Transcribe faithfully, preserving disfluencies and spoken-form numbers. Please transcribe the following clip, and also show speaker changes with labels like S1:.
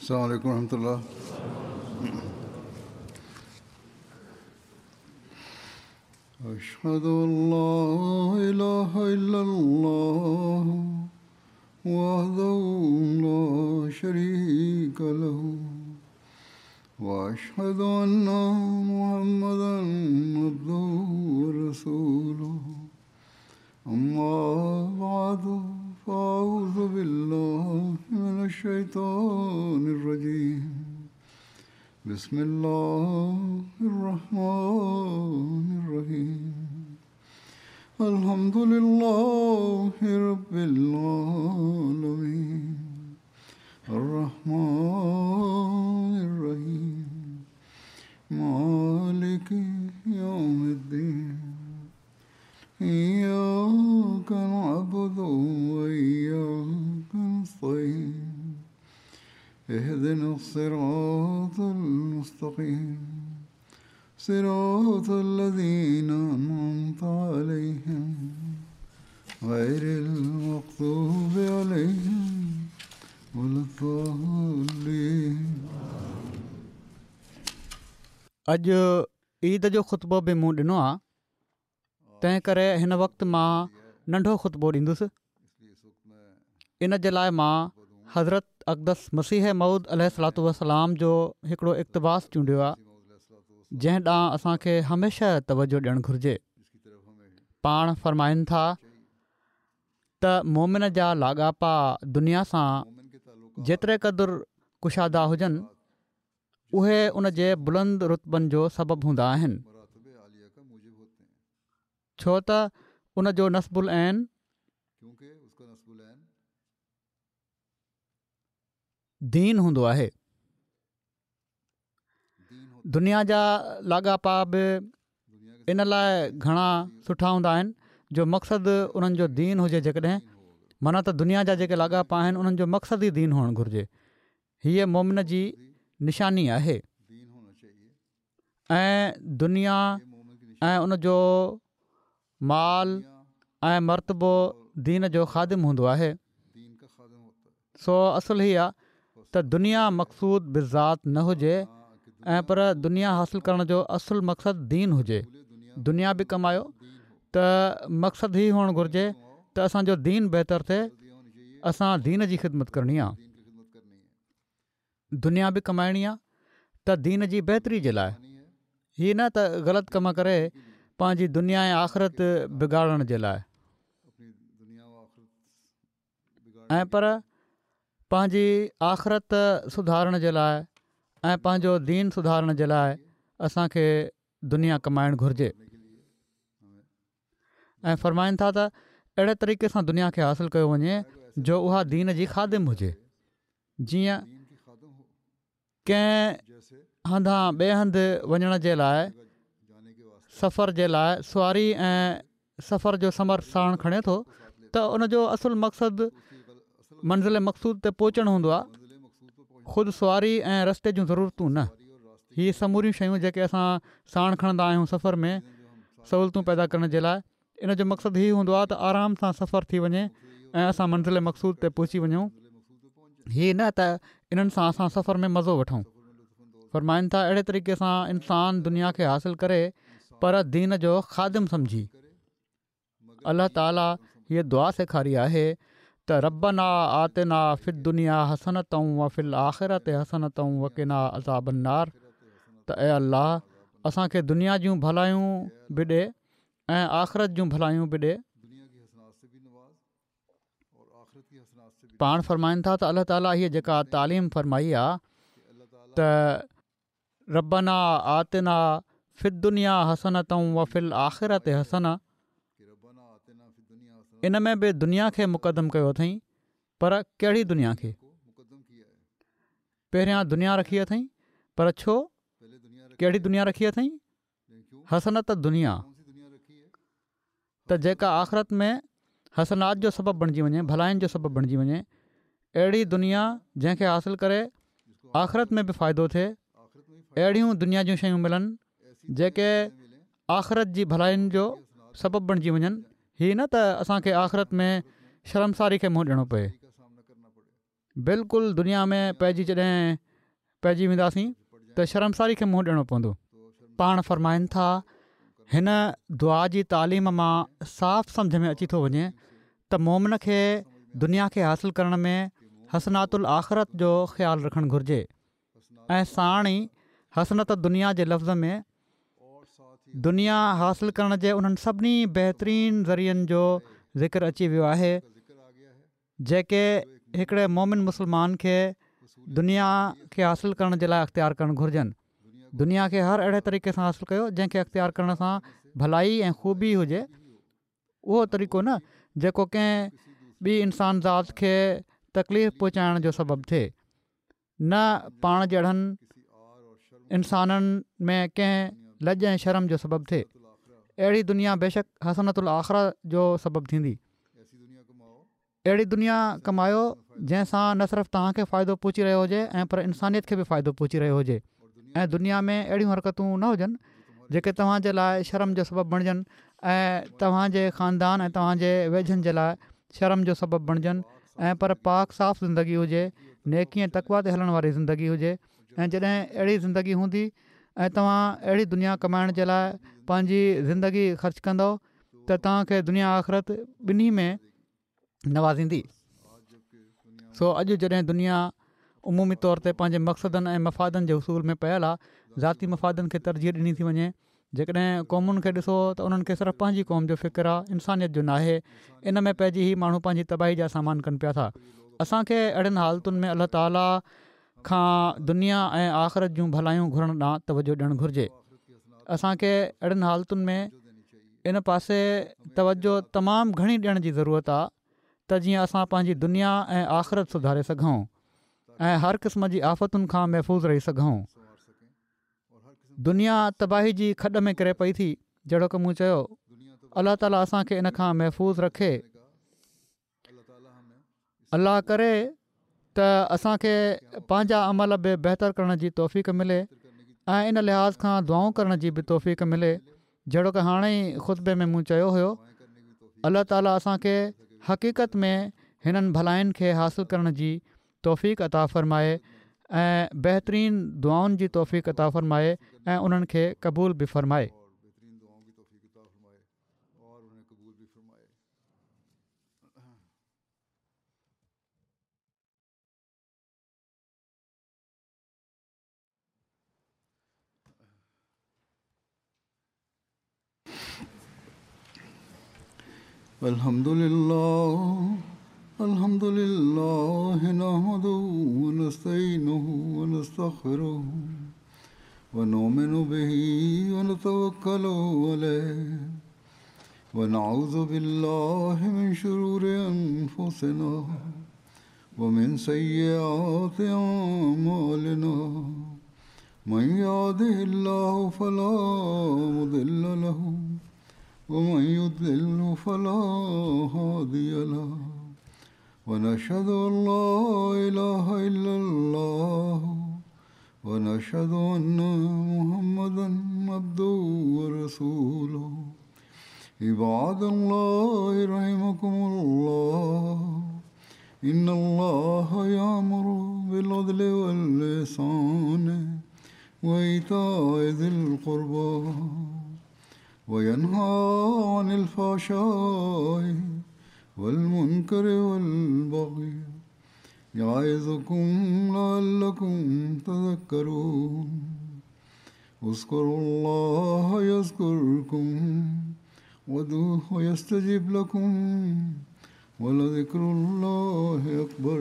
S1: السلام علیکم ورحمۃ اللہ۔ اشہد ان لا الہ الا اللہ وحدہ لا شریک لہ واشہد ان محمدا عبدہ ورسولہ، اما بعد فاعوذ باللہ من الشیطان الرجیم، بسم اللہ الرحمن الرحیم، الحمد للہ رب العالمین، الرحمن الرحیم، مالک یوم الدین، إياك نعبد وإياك نستعين، اهدنا الصراط المستقيم، صراط الذين أنعمت عليهم غير المغضوب عليهم ولا الضالين۔
S2: اڄ عيد جو خطبو به مون ڏنو آهي، تنهن ڪري هن وقت مان ننڍو خطبو ڏيندس۔ ان جي لاءِ مان حضرت اقدس مسيح موعود عليه الصلوة والسلام جو هڪڙو اقتباس چونڊيو آهي، جنهن ڏانهن اسان کي هميشه توجه ڏيڻ گهرجي۔ پاڻ فرمائن ٿا ته مومن جا لاڳاپا دنيا سان جيتري قدر ڪشادا هجن، اهي ان جي بلند رتبن جو سبب هوندا آهن، ڇو ته ان جو نصب العين دين هوندو آهي۔ دنيا جا لاڳاپا به ان لاءِ گهڻا سٺا هوندا آهن جو مقصد انهن جو دين هجي۔ جيڪڏهن معنيٰ ته دنيا جا جيڪي لاڳاپا آهن انهن جو مقصد ئي دين هئڻ گهرجي۔ هيءَ مومن جي نشاني آهي ۽ دنيا ۽ ان جو مال ۽ مرتبو دين جو خادم هوندو آهي۔ سو اصل هي آهي ته دنيا مقصود بالذات نه هجي ۽ پر دنيا حاصل ڪرڻ جو اصل مقصد دين هجي۔ دنيا به ڪمايو ته مقصد هي هئڻ گهرجي ته اسان جو دين بهتر ٿئي، اسان دين جي خدمت ڪرڻي آهي۔ دنيا به ڪمائڻي آهي ته دين جي بهتري جي لاءِ، هي نه ته غلط ڪم ڪري پنهنجي دنيا ۽ آخرت بگاڙڻ جي لاءِ، ۽ پر پنهنجي آخرت سڌارڻ جي لاءِ ۽ پنهنجو دين سڌارڻ جي لاءِ اسان کي دنيا ڪمائڻ گهرجي۔ ۽ فرمائن ٿا ته اهڙي طريقي سان دنيا کي حاصل ڪيو وڃي جو اها دين جي خادم هجي، جيئن ڪنهن هنڌان ٻئي هنڌ وڃڻ جي لاءِ سفر جي لاءِ سواري ۽ سفر جو ثمر ساڻ کڻي ٿو ته ان جو اصل مقصد منزل مقصود تي پهچڻ هوندو آهي، خود سواري ۽ رستي جون ضرورتون نه۔ هي سموريون شيون جيڪي اسان ساڻ کڻندا آهيون سفر ۾ سهولتون پيدا ڪرڻ جي لاءِ، ان جو مقصد هي هوندو آهي ته آرام سان سفر ٿي وڃي ۽ اسان منزل مقصود تي پهچي وڃون، هي نه ته انهن سان اسان سفر ۾ مزو وٺون۔ فرمائن ٿا اهڙي طريقي سان انسان دنيا کي حاصل ڪري پر دين جو خادم سمجهي۔ الله تعاليٰ هيءَ دعا سيکاري آهي ته ربنا آتنا في الدنيا حسنة وفي الآخرة حسنة وقنا عذاب النار، ته اي الله اسان کي دنيا جون ڀلايون به ڏي ۽ آخرت جون ڀلايون به ڏي۔ پاڻ فرمائن ٿا ته الله تعاليٰ هيءَ جيڪا تعليم فرمائي آهي ته ربنا آتنا في الدنيا حسنة وفي الآخرة حسنة، ان ۾ به دنيا کي مقدم ڪيو اٿئين، پر ڪهڙي دنيا کي؟ پهريان دنيا رکي اٿئين، پر ڇو؟ ڪهڙي دنيا رکي اٿئين؟ حسنت دنيا، ته جيڪا آخرت ۾ حسنات جو سبب بڻجي وڃي، ڀلاين جو سبب بڻجي وڃي، اهڙي دنيا جنهن کي حاصل ڪري آخرت ۾ به فائدو ٿئي، اهڙيون دنيا جون شيون ملن جيڪي آخرت جي ڀلاين جو سبب بڻجي وڃن، هي نه ته اسان کي آخرت ۾ شرمساري کي منهن ڏيڻو پئي۔ بلڪل دنيا ۾ پئجي جڏهن پئجي وينداسين ته شرمساري کي منهن ڏيڻو پوندو. پاڻ فرمائن ٿا هن دعا جي تعليم مان صاف سمجهه ۾ اچي ٿو وڃي ته مومن کي دنيا کي حاصل ڪرڻ ۾ حسنات الآخرت جو خيال رکڻ گهرجي ۽ ساڻ ئي حسنت دنيا جي لفظ ۾ دنيا حاصل ڪرڻ جي انهن سڀني بهترين ذريعن جو ذڪر اچي ويو آهي جيڪي هڪڙي مومن مسلمان کي دنيا کي حاصل ڪرڻ جي لاءِ اختيار ڪرڻ گهرجن. دنيا کي هر اهڙي طريقي سان حاصل ڪيو جنهن کي اختيار ڪرڻ سان ڀلائي ۽ خوبي هجي، اهو طريقو نه جيڪو ڪنهن ٻي انسان ذات کي تڪليف پهچائڻ جو سبب ٿئي، نه پاڻ جهڙن انسانن ۾ ڪنهن لڄ ۽ شرم جو سبب ٿئي. اهڙي دنيا بيشڪ حسنت الآخره جو سبب ٿيندي. اهڙي دنيا ڪمايو جنهن سان نه صرف توهان کي فائدو پهچي رهيو هجي ۽ پر انسانيت کي به فائدو پهچي رهيو هجي ۽ دنيا ۾ اهڙيون حرڪتون نه هجن جيڪي توهان جي لاءِ شرم جو سبب بڻجن ۽ توهان جي خاندان ۽ توهان جي ويجهن جي لاءِ شرم جو سبب بڻجن ۽ پر پاڪ صاف زندگي هجي، نيڪي ۽ تقويٰ تي هلڻ واري زندگي هجي. ۽ جڏهن اهڙي زندگي هوندي ۽ توهان اهڙي دنيا ڪمائڻ جي لاءِ پنهنجي زندگي خرچ ڪندؤ ته توهان کي دنيا آخرت ٻنهي ۾ نوازيندي. سو اڄ جڏهن دنيا عمومي طور تي پنهنجي مقصدن ۽ مفادن جي حصول ۾ پيل آهي، ذاتي مفادن کي ترجيح ڏني ٿي وڃي. جيڪڏهن قومن کي ڏسو ته انهن کي صرف پنهنجي قوم جو فڪر آهي، انسانيت جو ناهي. ان ۾ پئجي هي ماڻهو پنهنجي تباهي جا سامان ڪن پيا ٿا. اسان کي اهڙين حالتن ۾ الله تعاليٰ کان دنيا ۽ آخرت جون ڀلايون گهرڻ ڏانهن توجهه ڏيڻ گهرجي. اسان کي اهڙين حالتن ۾ ان پاسي توجهه تمام گهڻي ڏيڻ جي ضرورت آهي ته جيئن اسان پنهنجي دنيا ۽ آخرت سڌاري سگهون ۽ هر قسم جي آفتن کان محفوظ رهي سگهون. دنيا تباهي جي کڏ ۾ ڪري پئي ٿي، جهڙوڪ مون چيو، الله تعاليٰ اسان کي ان کان محفوظ رکي. الله ڪري ته اسان کي پنهنجا عمل به بهتر ڪرڻ جي توفيق ملي ۽ ان لحاظ کان دعائون ڪرڻ جي به توفيق ملي، جهڙوڪ هاڻي ئي خطبي ۾ مون چيو هيو. الله تعاليٰ اسان کي حقيقت ۾ هنن ڀلائين کي حاصل ڪرڻ جي توفيق عطا فرمائي ۽ بهترين دعائن جي توفيق عطا فرمائي ۽ انهن کي قبول به فرمائي.
S1: الحمد لله الحمد لله نحمده ونستعينه ونستغفره ونؤمن به ونتوكل عليه ونعوذ بالله من شرور أنفسنا ومن سيئات أعمالنا من يهده الله فلا مضل له ومن يضلل فلا هادي له ونشهد أن لا إله إلا الله ونشهد أن محمدا عبده ورسوله. عباد الله رحمكم الله، إن الله يأمر بالعدل والإحسان وإيتاء ذي القربى وينهى عن الفحشاء والمنكر والبغي يعظكم لعلكم تذكرون. اذكروا الله يذكركم وادعوه يستجب لكم ولذكر الله أكبر.